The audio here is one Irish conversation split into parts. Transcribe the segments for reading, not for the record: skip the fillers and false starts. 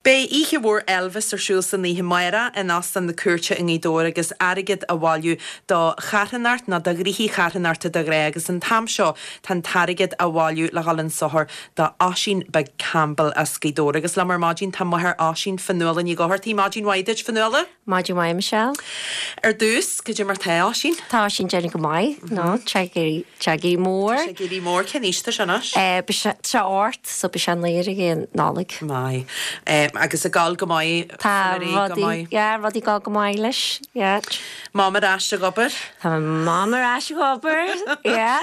Beidh oíche mhór Elvis ar siúl san oíche amárach in Óstán na Cúirte i nGaoth Dobhair agus airgead á bhailiú do charthanacht nó do ghnoithí charthanachta de ghnáth agus an t-am seo tá an t-airgead á bhailiú le dhul chun sochair do Oisín Beag Campbell as Gaoth Dobhair agus liom ar maidin tá máthair Oisín, Fionnuala Ní Dhochartaigh. Maidin mhaith duit, Fionnuala. Maidin mhaith, Michelle. Ar dtús, cad é mar tá Oisín? Tá Oisín déanamh go maith, no, tá sé ag éirí, tá sé ag éirí mór. Tá sé ag éirí mór, cén aois atá sé anois? Beidh sé, tá sé 8, so beidh sé 9 ag an Nollaig. Maith. Agus ag gabháil go maith, Tá rudaí go maith. Yeah, rudaí ag gabháil go maith leis, yeah. Mam ar ais ag obair? Tá Mam ar ais ag obair, yeah.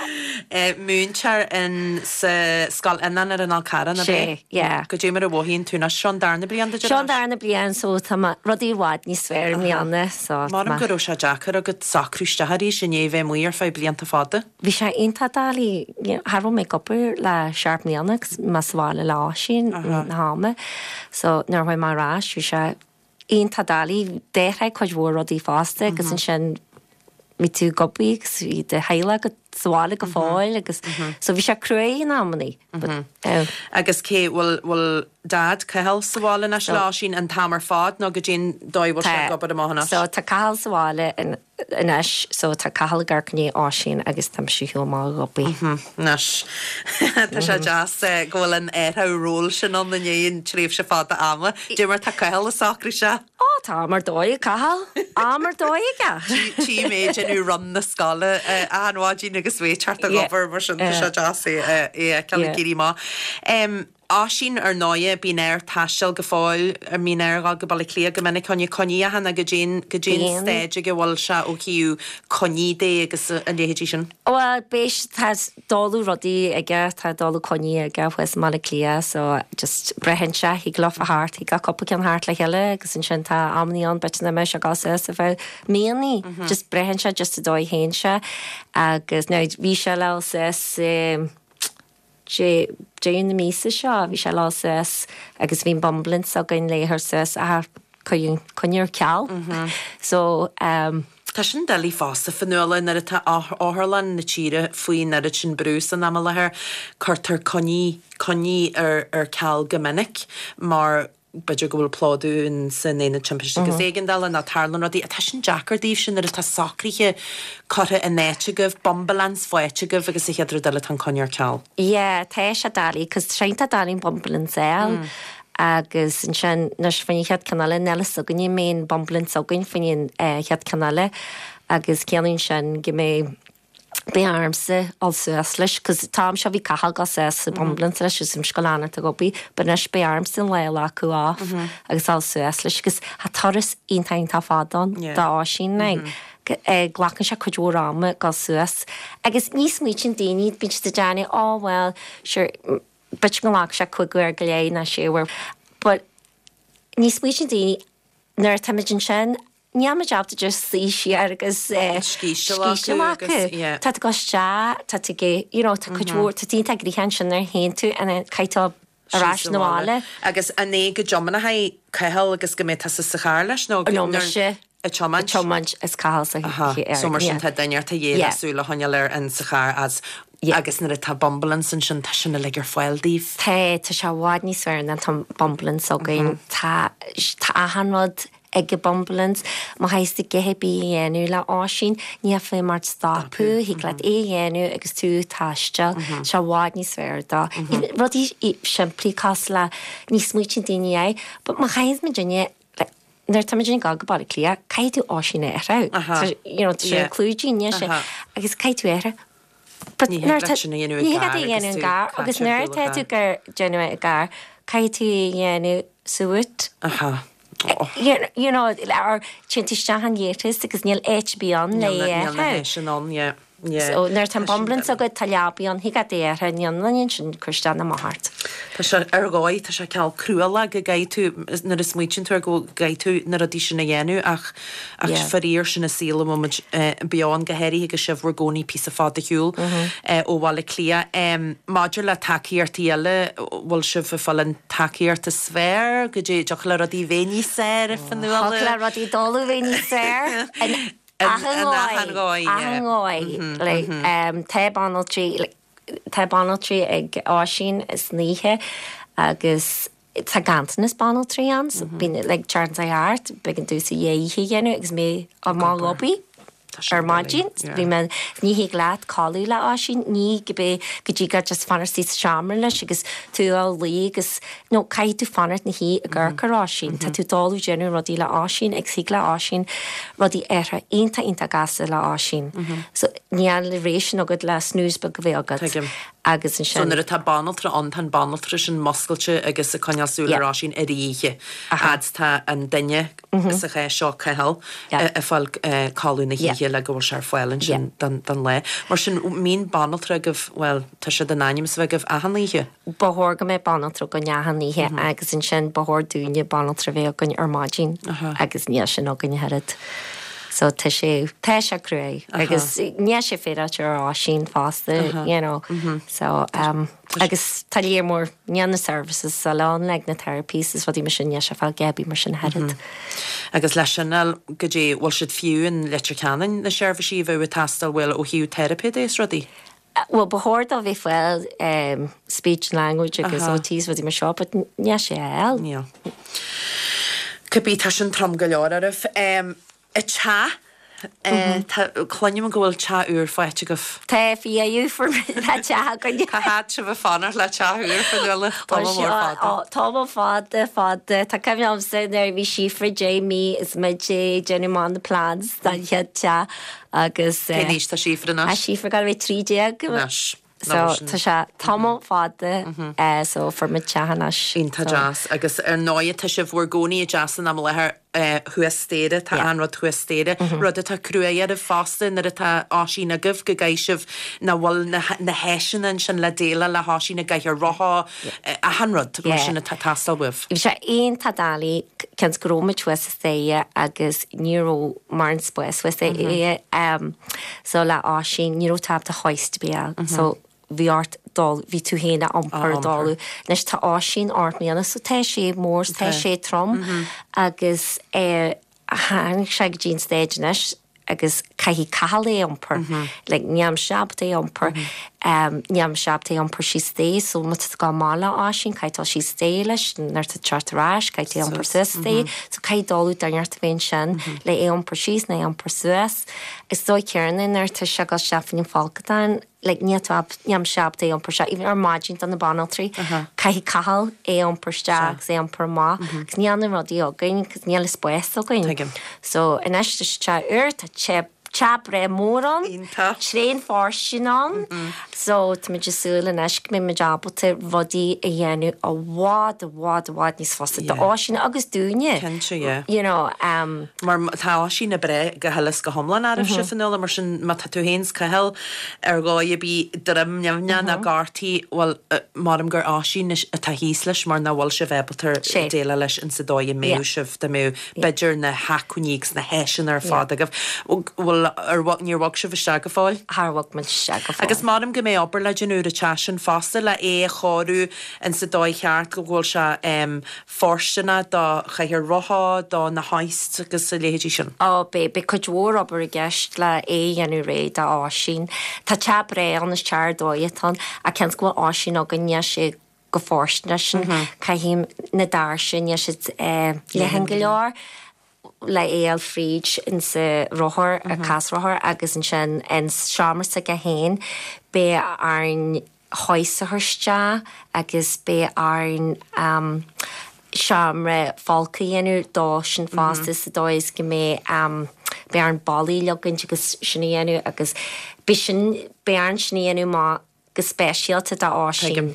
Múinteoir in sa Scoil Fhionáin ar an Fhál Carrach, ab ea? Sea, yeah. Goidé mar a mhothaíonn tú anois? Seo an darna bliain duit ar ais? Seo an darna bliain, so tá mé, rudaí i bhfad níos fearr i mbliana, so tá mé. Measaim go raibh sé deacair agat socrú isteach arís i ndiaidh bheith amuigh ar feadh blianta fada. Bhí sé iontach doiligh, you know, cha raibh mé ag obair le seacht mbliana agus mé sa bhaile le Oisín na hama, so nuair a chuaigh mé ar ais bhí sé iontach doiligh. D'athraigh cuid mhór rudaí fosta agus ansin bhí tú ag obair agus bhí do theaghlach agat sa bhaile go fóill agus so bhí sé cruaidh in amannaí. But eh. Agus cé, bhfuil, bhfuil Dad, Cathal, sa bhaile anois le Oisín an t-am ar fad nó goidé an dóigh a bhfuil sé ag obair amach anois? So tá Cathal sa bhaile anois so tá Cathal ag amharc i ndiaidh Oisín agus tá mise ar shiúl amach ag obair. Anois tá sé deas go bhfuil an athrú ról sin ann i ndiaidh an tréimhse fada ama. Dé mar tá Cathal ag socrú isteach? Ó tá am ar dóigh ag Cathal, am ar dóigh aige! Tchím é ag déanamh run na scoile achan mhaidin agus é ag teacht ag obair mar sin tá sé deas é a fheiceáil ag éirí amach. Oisín, ar ndóighe, bíonn air taisteal go fóill, an mbíonn air dhul go Baile Átha Cliath go minic chun coinní a dhéanamh, goidé an, goidé an staid ag a bhfuil sé ó thaobh coinní de agus a leithéidí sin. Bhuel, beidh, tá dáileadh rudaí aige, tá dáileadh coinní aige thuas i mBaile Átha Cliath so just braitheann sé, thig leofa theacht, thig le cúpla ceann theacht le chéile agus ansin tá amannaí ann b'fhéidir nach mbeidh sé ag dul suas ar feadh míonnaí, just braitheann sé just an dóigh a théann sé agus now bhí sé le dul suas i, Deireadh na míosa seo bhí sé le dul suas agus bhí an bumbulance againn le é a thabhairt suas ach cuireadh an coinne ar ceal. So ehm. Tá sin doiligh fosta, Fionnuala, nuair atá otharlann na tíre faoin oiread sin brú san am i láthair, cuirtear coinní, coinní ar ar ceal go minic mar b'fhéidir go bhfuil plódú in san aonad timpiste agus éigeandála nó tarlaíonn rudaí. Tá sin deacair daoibhse nuair atá socruithe curtha in áit agaibh, bumbulance faighte agaibh agus an chéad rud eile tá an coinne ar ceal. Yeah, tá sé doiligh 'cause tá sé iontach doiligh an bumbulance a fháil agus ansin anois faoin chéad ceann eile níl fhios againn an mbeidh an bumbulance againn faoin chéad ceann eile agus ciallaíonn sin go mbeidh Beidh ormsa dul suas leis, 'cause an t-am seo bhí Cathal ag dul suas sa bumbulance leis agus mise ag dul fanacht ag obair, but anois beidh ormsa an lá a ghlacadh off agus dul suas leis 'cause tá turas iontach iontach fada ann d'Oisín like glacann sé cuid mhór ama dul suas agus ní smaoitíonn daoine, bíonn siad ag déanamh oh well sure b'fhéidir go nglacann sé cúig uair go leith nó sé uair but ní smaoitíonn daoine nuair atáimid ansin Níl muid ábalta just suí siar agus scíth a ghlacadh. Tá tú ag dul isteach, tá tú ag, you know, tá cuid mhór, tá tú iontach gnoitheach ansin nuair a théann tú and then caithfidh tú ar ais 'na bhaile. Agus an é go dtiomáinfidh Cathal agus go mbeidh tusa sa charr leis nó No, mise ag tiomáint? Ag tiomáint is Cathal sa charr. So mar sin tá duine inteacht a dhíth le súil a choinneáil air in sa charr as agus nuair atá bumbulance ansin tá sin uilig ar fáil daoibh. Tá, tá sé i bhfad níos fearr nuair atá bumbulance againn. Tá, tá achan rud ag an bumbulance. Má chaithfidh tú a dhath ar bith a dhéanamh le Oisín, níl feidhm ort stopadh, thig leat é a dhéanamh agus tú ag taisteal. Tá sé i bhfad níos fearr dó. Rudaí simplí cosúil le, ní smaoitíonn daoine air, but má chaithfidh muidinne, like, nuair atá muidinne ag dul go Baile Átha Cliath, caithfidh tú Oisín a athrú. You know, tá sé ar chlúidín, níl sé, agus caithfidh tú é a athrú. But Ní thig leat sin a dhéanamh i gcarr agus tú caite ar shiúl i gcarr. Agus nuair atá tú ag déanamh é i gcarr, caithfidh tú é a dhéanamh sa bhoot. Aha. You know, or téann tú isteach an léatas agus níl áit ar bith ann le é a Níl na háiseanna ann, yeah. Yeah. So nuair atá an bumbulance agat, tá leabaí ann, thig leat é a athrú, níl aon ansin cur isteach ná amach ort. Tá sé ar dhóigh, tá sé cineál cruálach go gcaithfidh tú, nuair a smaoitíonn tú air go gcaithfidh tú na rudaí sin a dhéanamh ach Ach faraor sin an saol a bhfuil muid beo ann, go háirithe agus sibh bhur gcónaí píosa fada ar shiúl ó Bhaile Átha Cliath. Maidir le tacaíochtaí eile, bhfuil sibh ag fáil an tacaíocht is fearr? Goidé, dtiocfadh le rudaí bheith níos fearr, a Fionnuala? Thiocfadh le rudaí dul a bheith níos fearr in achan dhóigh, achan dhóigh. Like, tá banaltraí, tá banaltraí ag Oisín san oíche agus. Tá ganntanas banaltraí ann so bíonn like teacht thart, b'éigean domhsa dhá oíche a dhéanamh agus mé amach ag obair ar maidin. Bhí mé, ní thig leat codladh le Oisín, ní go go dtí go just fanacht sa seomra leis agus tú á luí agus nó caithfidh tú fanacht ina shuí ag amharc ar Oisín. Tá tú ag dul ag déanamh rudaí le Oisín agus thig le Oisín rudaí athrú iontach iontach gasta le Oisín. So níl an ré sin agat le snooze beag a bheith agat. Tuigim. Agus So ansin. nuair atá banaltra ann, tá an banaltra sin muscailte agus ag coinneáil súil Yeah. ar Oisín ar oíche. Aha. Fhad 's tá an duine sa chás seo, Cathal, Yeah. ag fáil codladh na Yeah. hoíche le go bhfuil sé ar fáil Yeah. ansin don don lá. Mar sin, mbíonn banaltra agaibh, bhuel, tá siad in ainm is a bheith agaibh achan oíche. Ba chóir go mbeadh banaltra againn achan oíche agus ansin ba chóir dúinne banaltra a bheith againn ar maidin agus níl sin againn ach oiread. So tá sé, tá sé cruaidh agus níl sé féaráilte ar Oisín fosta, you know. So um, agus tá léar mór, níl na services sa lán like na therapies is rudaí mar sin, níl sé fáil ar bith mar sin ach oiread. Agus leis sin, goidé, bhfuil siad fiú in Leitir Ceanainn, na seirbhísí a bheadh ag teastáil, bhuel, ó thaobh teiripe de is rudaí? Bhuel, ba chóir dó bheith fáil speech and language agus OTs rudaí mar seo, but níl sé á fháil. Níl. Cibé, tá sin trom go leor oraibh. An teach, tá, cluinim go bhfuil teach úr faighte agaibh. Tá, faoi dheireadh fuair muid tá teach againn. Cá fhad sibh ag fanacht le teach úr, Fionnuala? Tamall mór fada. Tamall fada, fada. Tá cuimhne agamsa nuair a bhí Síofra 10 mí is muid ag déanamh amach na plans don chéad teach. Agus. Cén aois tá Síofra anois? Tá Síofra ag gabháil a bheith 13. Anois. So tá sé tamall fada so fuair muid teach anois. Iontach deas. Agus ar ndóigh tá sibh bhur gcónaí i dteach san am i láthair thuas staighre, tá an rud thuas staighre, rud atá cruaidh oraibh fosta nuair atá Oisín agaibh go gcaithfidh sibh nach bhfuil na háiseanna ansin le déileáil le hOisín i gcathaoir rotha, achan rud mar sin atá ag teastáil uaibh. Bhí sé iontach doiligh cionn 's go raibh muid thuas sa staighre agus ní raibh mórán spáis thuas staighre so le Oisín ní raibh tú ábalta hoist ar bith a fháil so bhí ort dul bhí tú féin á iompar ag dul anois tá Oisín 8 mbliana so tá sé mór tá sé trom agus tháinig sé go dtí an stage anois agus caithfidh Cathal é a iompar. Like, nílimse ábalta é a iompar. Nílimse ábalta é a iompar síos staighre, so má tá tú ag gabháil amach le Oisín, caithfidh dul síos staighre leis, nuair atá tú ag teacht ar ais, caithfidh tú é a iompar suas staighre. So caithfidh dul duine inteacht a bheith ansin le é a iompar síos nó é a iompar suas. Is dóigh céanna nuair atá sé ag dul isteach faoin folcadán, like níl tú ábalta, nílimse ábalta é a iompar isteach, even ar maidin do na banaltraí, caithfidh Cathal é a iompar isteach agus é a iompar amach, agus níl na rudaí againn, agus níl an spás againn. Tuigim. So anois tá sé teach úr, tá teach teach breá mór ann, Iontach. tréan fóirstean ann, so tá muid ag súil anois go mbeidh muid ábalta rudaí a dhéanamh i bhfad, i bhfad, i bhfad níos fusa do Oisín agus dúinne. Cinnte, yeah. You know, um. Mar tá Oisín ag breith go huile is go hiomlán oraibhse, Fionnuala, mar sin má tá tú féin 's Cathal ar dhóigh ar bith droim nimhneach nó gortaithe, bhuel, maram gur Oisín atá thíos leis mar nach bhfuil sibh ábalta déileáil leis insa dóigh a mbeadh sibh dá mbeadh b'fhéidir na hacmhainní agus na háiseanna ar fad agaibh. Bhuel, ar, níor bhog sibh isteach go fóill? Char bhog muid isteach go fóill. Agus maram go mbeidh obair le déanamh ar an teach sin fosta le é a chóiriú insa dóigh cheart go bhfuil sé fóirsteanach do chathaoir rotha, do na hoists agus a leithéidí sin. Ó, beidh, beidh cuid mhór obair i gceist le é a dhéanamh réidh do Oisín. Tá teach breá ann, is teach ar dóigh atá ann, ach cionn 's go bhfuil Oisín againn, níl sé chomh fóirsteanach sin, caithfidh na doirse, níl siad leathan go leor le é a fháil fríd insa rothar, casrothar agus ansin in seomra s'aige féin, beidh orainn hoist a chur isteach agus beidh orainn seomra folctha a dhéanamh dó sin fosta sa dóigh is go mbeidh beidh orainn ballaí a leagaint agus sin a dhéanamh agus beidh sin beidh orainn sin a dhéanamh amach go speisialta do Oisín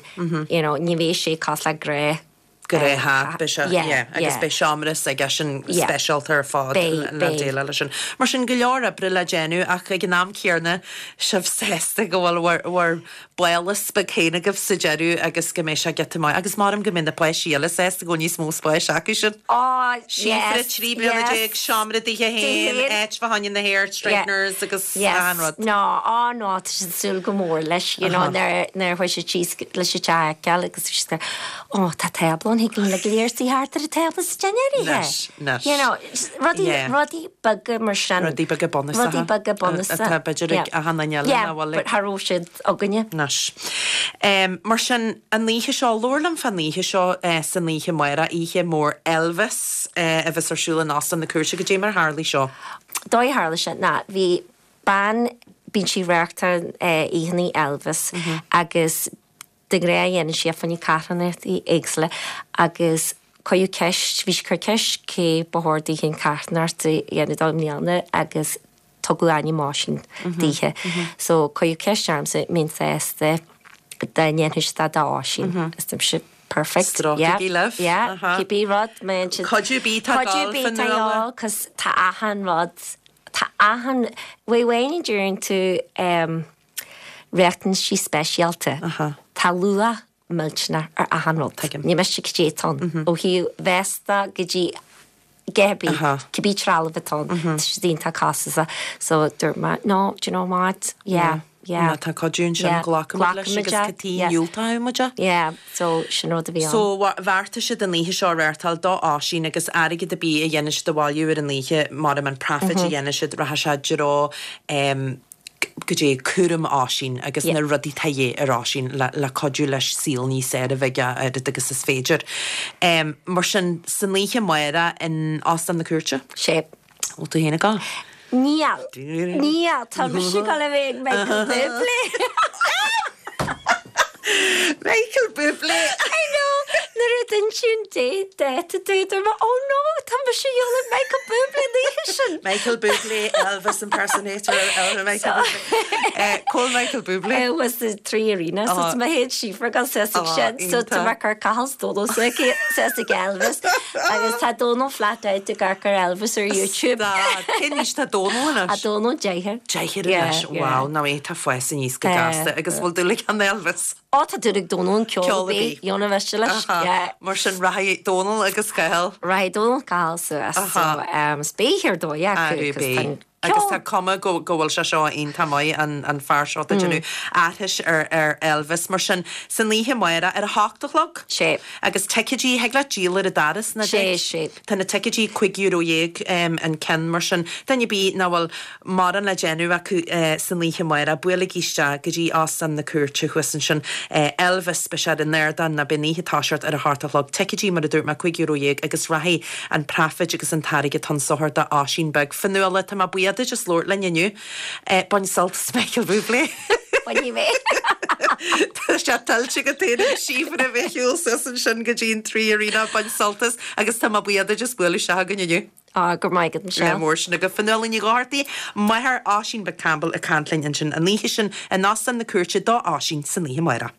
you know ní bheidh sé cosúil le gnáth Gnáth, beidh sé, yeah, agus beidh seomra s'aigesean speisialta ar fad le déileáil leis sin. Mar sin, go leor oibre le déanamh ach ag an am céanna, sibh sásta go bhfuil bhur, bhur bpálás beag féin agaibh sa deireadh agus go mbeidh sé giota maith. Agus maram go mbeidh na páistí eile sásta go bhfuil níos mó spáis acu sin. Oh, Síofra, yes, 13 bliana, yes. seomra daoithe féin, áit fá choinne na hair straighteners agus Yes, achan rud. no, oh no, tá siad ag súil go mór leis, you know, nuair, nuair a chuaigh siad síos leis an teach a fheiceáil agus bhí siad ag, oh, tá tábla ann. thig linn uilig go léir suí thart ar an tábla sa dinnéar oíche. Anois, anois. You know, rudaí, Yeah. rudaí beaga mar sin. Rudaí beaga bunúsacha. Rudaí beaga bunúsacha. Atá b'fhéidir ag achan duine eile Yeah, nach bhfuil but ag. cha raibh siad againne. Anois. Mar sin, an oíche seo, labhair liom fán oíche seo san oíche amárach, oíche mhór Elvis a bheas ar siúl in Óstán na Cúirte. Goidé mar a tharlaigh seo? Dóigh a tharla sé ná bhí bean, bíonn sí ag reáchtáil oícheannaí Elvis agus de ghnáth dhéanann sí é fá choinne carthanachtaí éagsúla agus cuireadh ceist, bhí sí ag cur ceist cé ba chóir daoithe an carthanacht a dhéanamh dó i mbliana agus tugadh ainm Oisín daoithe. So cuireadh ceist ormsa an mbeinn sásta dá ndéanfadh siad é d'Oisín. Is dúirt mise perfect. Stróicigí libh. Yeah, cibé rud, má dhéanann siad. Cuidiú ar bith atá ag Cuidiú dul ar bith atá Fionnuala. ag dul, 'cause tá achan rud, tá achan, uaidh amháin a deireann tú riachtanaisí speisialta. Tá luach millteanach ar achan rud. Tuigim. Ní miste cad é atá ann. Ó thaobh véasta go dtí a dhath ar bith, cibé trealamh atá ann, tá siad iontach costasach. So dúirt mé, no, do you know what, yeah, yeah. Má tá cuidiú ansin, Yeah, glacfaimid leis glacfaimid agus é, cad chuige yeah. a ndiúltódh muid é? Yeah, so sin rud a bhí ann. So bheartaigh siad an oíche seo a reáchtáil do Oisín agus airgead ar bith a dhéanann siad a bhailiú ar an oíche, mar an praifid a dhéanann siad, rachaidh sé i dtreo goidé cúram Oisín agus na rudaí atá de dhíth ar Oisín le cuidiú leis saol níos fearr a bheith aige a oiread agus is féidir. Mar sin, san oíche amárach in Óstán na Cúirte? Sé. Bhfuil tú féin ag gabháil? Níl. Níl. Tá mise ag gabháil a bheith ag Michael Bublé. Michael Bublé! I know! Nuair a d'inis sí an dáta domh, dúirt mé, oh no, tá mise ag gabháil ag Michael Bublé an oíche sin! Michael Bublé, Elvis impersonator, Elvis Michael Bublé. Cá bhfuil Michael Bublé? It was the Three Arena, so tá mé féin Síofra ag gabháil suas ag sin, so tá mé ag cur Cathal 's Dónal suas ag Elvis, agus tá Dónal flat out ag amharc ar Elvis ar YouTube. Stad! Cén aois tá Dónal anois? Tá Dónal deichniúr. Deichniúr anois, wow, ná é, tá fás aníos go gasta agus bhfuil dúil ag an Elvis? Ó tá dúil ag Dónal an ceol Ceol ar bith. Dheona mhiste leis, yeah. Mar sin rachaidh Dónal agus Cathal. Rachaidh Dónal Cathal suas so is beidh ar dóigh acu cos tá an ceol. Agus tá cuma go go bhfuil sé seo iontach maith an an fear seo atá ag déanamh aithris ar ar Elvis. Mar sin san oíche amárach ar a hocht a chlog? Sé. Agus ticéidí, thig leat díol ar an doras nach Sé, dtig? sé. Tá na ticéidí €15 an ceann mar sin duine ar bith nach bhfuil mórán le déanamh acu san oíche amárach, buailigí isteach go dtí Óstán na Cúirte thuas ansin. Elvis, beidh sé ar an ardán nó beidh an oíche ag toiseacht ar a hocht a chlog. Ticéidí, mar a dúirt mé, €15 agus rachaidh an praifid agus an t-airgead chun sochair do Oisín Beag. Fionnuala, tá mé buíoch duit as labhairt linn inniu. Bain sult as Michael Bublé. Bainfidh mé. Tá sé tuillte agat féin agus Síofra a bheith ar shiúl suas ansin go dtí an 3 Arena, bain sult as agus tá mé buíoch duit as bualadh isteach chugainn inniu. Á, go raibh maith agat, Michelle. Le mór sin agat. Fionnuala Ní Dhochartaigh, máthair Oisín Beag Campbell ag caint linn ansin an oíche sin in Óstán na Cúirte do Oisín san oíche amárach.